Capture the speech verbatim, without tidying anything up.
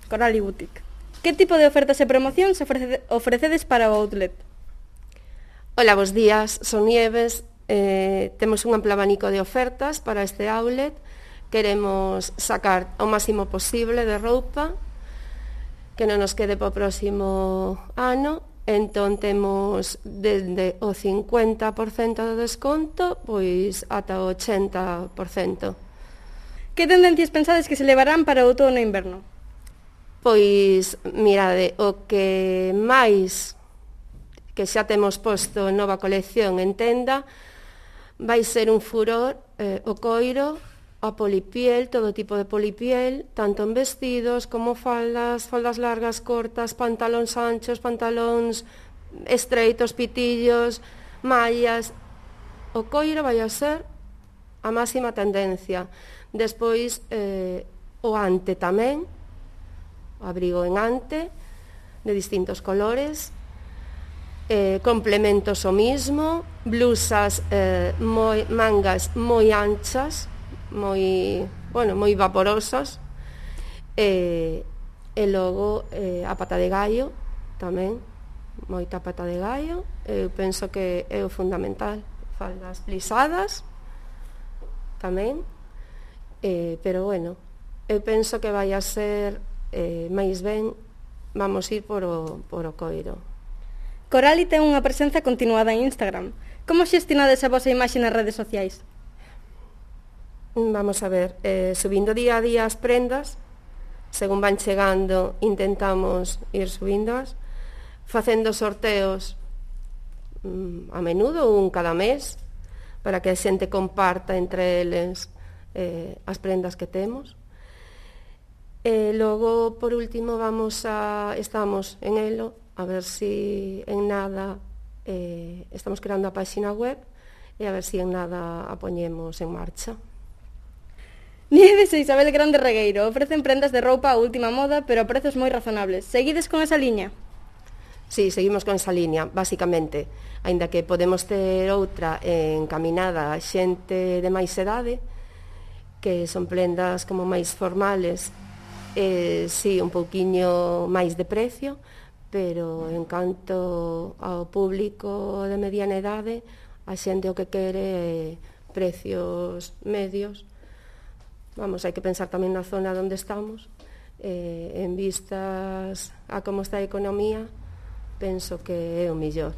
Corali Boutique. Que tipo de ofertas e promocións ofrece, ofrecedes para o outlet? Ola, bos días, son Nieves. Eh, temos un amplo abanico de ofertas para este outlet. Queremos sacar o máximo posible de roupa que non nos quede para o próximo ano. Entón temos desde o cincuenta por cento de desconto pois ata o ochenta por cento. Que tendencias pensades que se levarán para o outono e inverno? Pois, mirade, o que máis que xa temos posto nova colección en tenda vai ser un furor, eh, o coiro, a polipiel, todo tipo de polipiel, tanto en vestidos como faldas, faldas largas, cortas, pantalóns anchos, pantalóns estreitos, pitillos, mallas. O coiro vai a ser a máxima tendencia. Despois, eh, o ante tamén, abrigo en ante, de distintos colores, eh, complementos o mismo, blusas, eh, moi, mangas moi anchas, moi, bueno, moi vaporosas, e, e logo eh, a pata de gallo, tamén, moita pata de gallo, eu penso que é o fundamental, faldas plisadas, tamén, eh, pero bueno, eu penso que vai a ser eh, máis ben vamos ir por o, por o coiro. Corali ten unha presenza continuada en Instagram. Como xestionades a vosa imaxe nas redes sociais? Vamos a ver, eh, subindo día a día as prendas, según van chegando intentamos ir subíndoas, facendo sorteos mm, a menudo, un cada mes, para que a xente comparta entre eles eh, as prendas que temos. E logo, por último, vamos a estamos en elo, a ver si en nada eh, estamos creando a página web e a ver si en nada a poñemos en marcha. Nieves e Isabel Grande Regueiro ofrecen prendas de roupa a última moda, pero a prezos moi razonables. Seguides con esa liña? Sí, seguimos con esa liña, basicamente. Aínda que podemos ter outra encaminada a xente de máis edade, que son prendas como máis formales, eh, sí, un pouquiño máis de precio, pero en canto ao público de mediana idade, a xente o que quere é precios medios. Vamos, hai que pensar tamén na zona onde estamos, eh, en vistas a como está a economía, penso que é o mellor.